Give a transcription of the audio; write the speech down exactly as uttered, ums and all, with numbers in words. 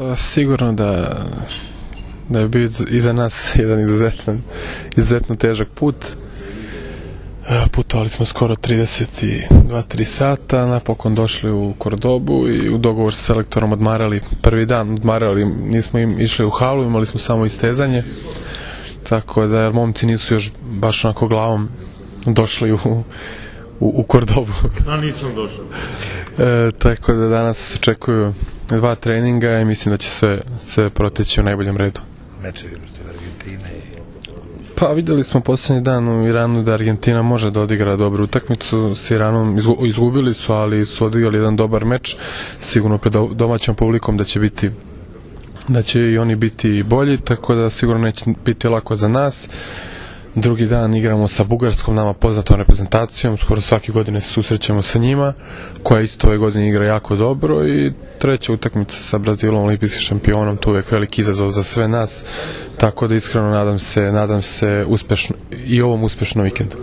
Pa sigurno da da je bio iza nas jedan izuzetno, izuzetno težak put. Putovali smo skoro trideset dva tri sata, napokon došli u Kordobu i u dogovor sa selektorom odmarali prvi dan, odmarali, nismo im išli u halu, imali smo samo istezanje, tako da jer momci nisu još baš onako glavom došli u, u, u Kordobu. A nisam došao. E, tako da danas se očekuju dva treninga i mislim da će sve, sve proteći u najboljem redu. Mečevi protiv Argentine i... Pa vidjeli smo posljednji dan u Iranu da Argentina može da odigra dobru utakmicu s Iranom, izgubili su, ali su odigrali jedan dobar meč, sigurno pred domaćom publikom da će biti da će i oni biti bolji, tako da sigurno neće biti lako za nas. Drugi dan igramo sa Bugarskom, nama poznatom reprezentacijom, skoro svake godine se susrećemo sa njima, koja isto ove godine igra jako dobro, i treća utakmica sa Brazilom, olimpijskim šampionom, to je uvijek veliki izazov za sve nas, tako da iskreno nadam se, nadam se uspešno, i ovom uspešnom vikendu.